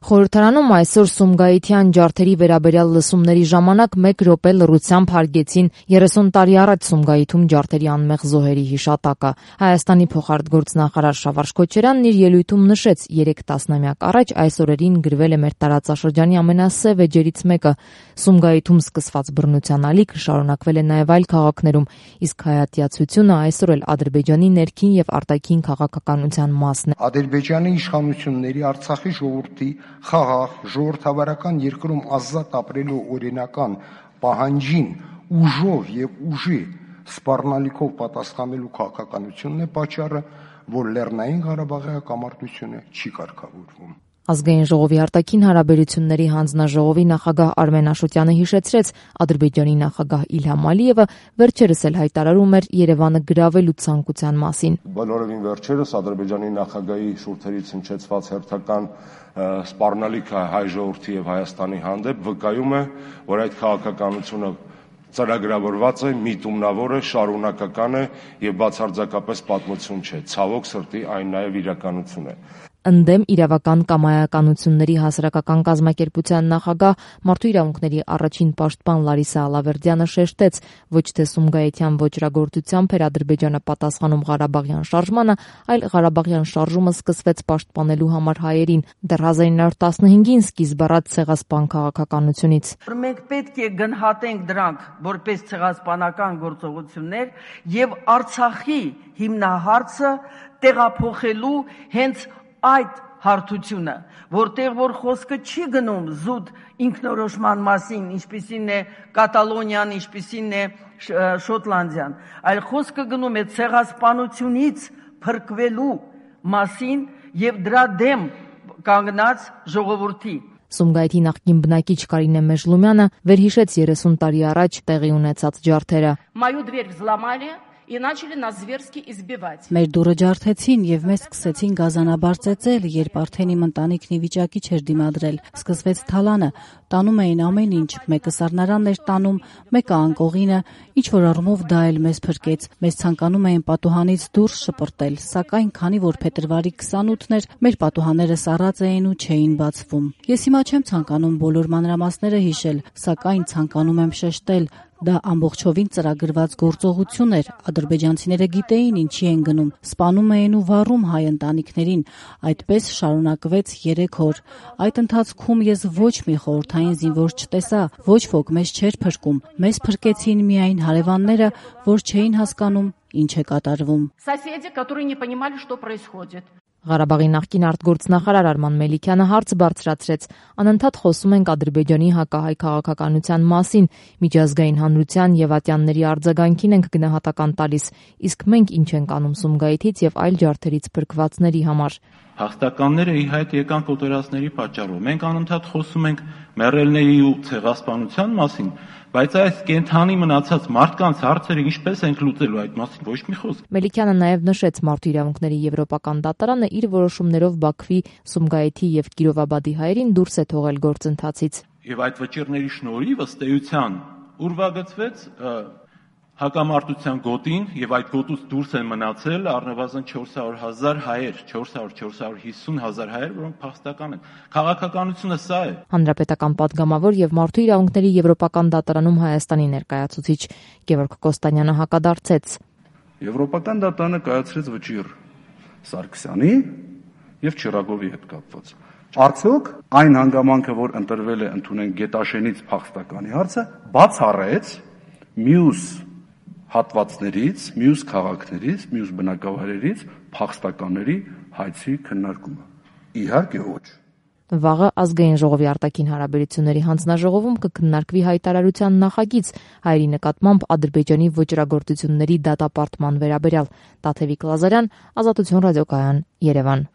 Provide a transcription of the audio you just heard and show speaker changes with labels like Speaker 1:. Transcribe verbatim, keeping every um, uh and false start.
Speaker 1: Խորհրդարանում այսօր Սումգայիթյան ջարդերի վերաբերյալ լսումների ժամանակ մեկ րոպե լռությամբ հարգեցին երեսուն տարի առաջ Սումգայիթում ջարդերի անմեղ զոհերի հիշատակը։ Հայաստանի փոխարտգործնախարար Շավարշ Քոչարյանն իր ելույթում նշեց, երեք տասնամյակ առաջ այս օրերին գրվել է մեր տարածաշրջանի ամենասև էջերից մեկը։ Սումգայիթում սկսված բռնության ալիքը շարունակվել է նաև այլ քաղաքներում, իսկ հայատյացությունը այսօր էլ Ադրբեջանի ներքին եւ արտաքին քաղաքականության մասն է։
Speaker 2: Ադրբեջանի իշխանությունների Արցախի ժողովրդի խաղաղ ժողովրդավարական երկրում ազատ ապրելու օրինական պահանջին ուժով եւ ուժի սպառնալիքով պատասխանելու քաղաքականությունն է պատճառը, որ Լեռնային Ղարաբաղի հակամարտությունը չի կարգավորվում։
Speaker 1: Ազգային ժողովի արտաքին հարաբերությունների հանձնաժողովի նախագահ Արմեն Աշոտյանը հիշեցրեց, Ադրբեջանի նախագահ Իլհամ Ալիևը վերջերս էլ հայտարարում էր Երևանը գրավելու ցանկության մասին։
Speaker 3: Բոլորովին վերջերս Ադրբեջանի նախագահի շուրթերից հնչեցված հերթական սպառնալիքը հայ ժողովրդի եւ Հայաստանի հանդեպ վկայում է, որ այդ քաղաքականությունը ծրագրավորված է, միտումնավոր է, շարունակական է եւ բացարձակապես պատմություն չէ։ Ցավոք սրտի այն նաեւ իրականություն է։
Speaker 1: Ընդդեմ իրավական կամայականությունների հասարակական կազմակերպության նախագահ Մարդու իրավունքների առաջին պաշտպան Լարիսա Ալավերդյանը շեշտեց, ոչ թե Սումգայիթյան ոճրագործությամբ էր Ադրբեջանը պատասխանում Ղարաբաղյան շարժմանը, այլ Ղարաբաղյան շարժումը սկսվեց պաշտպանելու համար հայերին, դեռ հազար ինը հարյուր տասնհինգին սկիզբ առած ցեղասպան քաղաքականությունից։
Speaker 4: Մենք պետք է գնահատենք դրանք որպես ցեղասպանական գործողություններ եւ Արցախի հիմնահարցը տեղափոխելու հենց այդ հարթությունը, որտեղ որ խոսքը չի գնում զուտ ինքնորոշման մասին, ինչպիսին է Կատալոնիան, ինչպիսին է Շոտլանդիան, այլ խոսքը գնում է ցեղասպանությունից փրկվելու մասին եւ դրա դեմ կանգնած ժողովրդի։
Speaker 1: Սումգայիթի նախկին բնակիչ Կարինե Մեժլումյանը վերհիշեց երեսուն տարի առաջ տեղի ունեցած ջարդերը։
Speaker 5: Մою дверь взломали и начали нас зверски избивать.
Speaker 6: Մեր դուրը ջարդեցին եւ մեզ սկսեցին գազանաբար ծեծել, երբ արդեն իմ ընտանիքն ի վիճակի չէր դիմադրել։ Սկսվեց թալանը, տանում էին ամեն ինչ, մեկը սառնարանն էր տանում, մեկը անկողինը, ինչ որ առումով դա էլ մեզ փրկեց։ Մեզ ցանկանում էին պատուհանից դուրս շպրտել, սակայն քանի որ փետրվարի քսանութն էր, մեր պատուհանները սառած էին ու չէին բացվում։ Ես հիմա չեմ ցանկանում բոլոր մանրամասները հիշել, սակայն ցանկանում եմ շեշտել, դա ամբողջովին ծրագրված գործողություն էր։ Ադրբեջանցիները գիտեին ինչի են գնում, սպանում էին ու վառում հայ ընտանիքներին։ Այդպես շարունակվեց երեք օր։ Այդ ընթացքում ես ոչ մի խորհրդային զինվոր չտեսա, ոչ ոք մեզ չէր փրկում։ Մեզ փրկեցին միայն հարևանները, որ չէին հասկանում ինչ է կատարվում։
Speaker 5: Соседи, которые не понимали, что происходит.
Speaker 1: Ղարաբաղի նախկին արտգործնախարար Արման Մելիքյանը հարց բարձրացրեց. անընդհատ խոսում ենք Ադրբեջանի հակահայ քաղաքականության մասին, միջազգային հանրության եւ ատյանների արձագանքին ենք գնահատական տալիս, իսկ մենք ինչ ենք անում Սումգայիթից եւ այլ ջարդերից փրկվածների համար։
Speaker 7: Հաղթականները ի հայտ եկան կոտորածների պատճառով։ Մենք անընդհատ խոսում ենք մեռելների ու ցեղասպանության մասին, բայց այս կենթանի մնացած մարդկանց հարցերը ինչպես ենք լուծելու, այդ մասին ոչ մի խոսք։
Speaker 1: Մելիքյանը նաև նշեց Մարդու իրավունքների եվրոպական դատարանը իր որոշումներով Բաքվի, Սումգայիթի եւ Կիրովաբադի հայերին դուրս է թողել գործընթացից։
Speaker 7: Եվ այդ վճիռների շնորհիվ ըստ էության ուրվագծվեց հակամարտության գոտին եւ այդ գոտուց դուրս են մնացել առնվազն չորս հարյուր հազար հայեր, չորս հարյուր չորս հարյուր հիսուն հազար հայեր, որոնք փախստական են։ Քաղաքականությունը սա է։
Speaker 1: Հանրապետական падգամավոր եւ Մարդու իրավունքների եվրոպական դատարանում Հայաստանի ներկայացուցիչ Գևորգ Կոստանյանը հակադարձեց։
Speaker 8: Եվրոպական դատարանը կայացրեց վճիռ Սարգսյանի եւ Չիրագովի հետ կապված։ Արդյոք այն հանգամանքը, որ ընտրվել է ընդունեն Գետաշենից փախստականի հարցը, բացառեց մյուս հատվածներից, մյուս քաղաքներից, մյուս բնակավայրերից փախստականների հայցի քննարկումը։ Իհարկե ոչ։
Speaker 1: Վաղը ազգային ժողովի արտաքին հարաբերությունների հանձնաժողովում կքննարկվի հայտարարության նախագիծ հայերի նկատմամբ Ադրբեջանի ոճրագործությունների դատապարտման վերաբերյալ։ Տաթևիկ Լազարյան, Ազատություն ռադիոկայան, Երևան։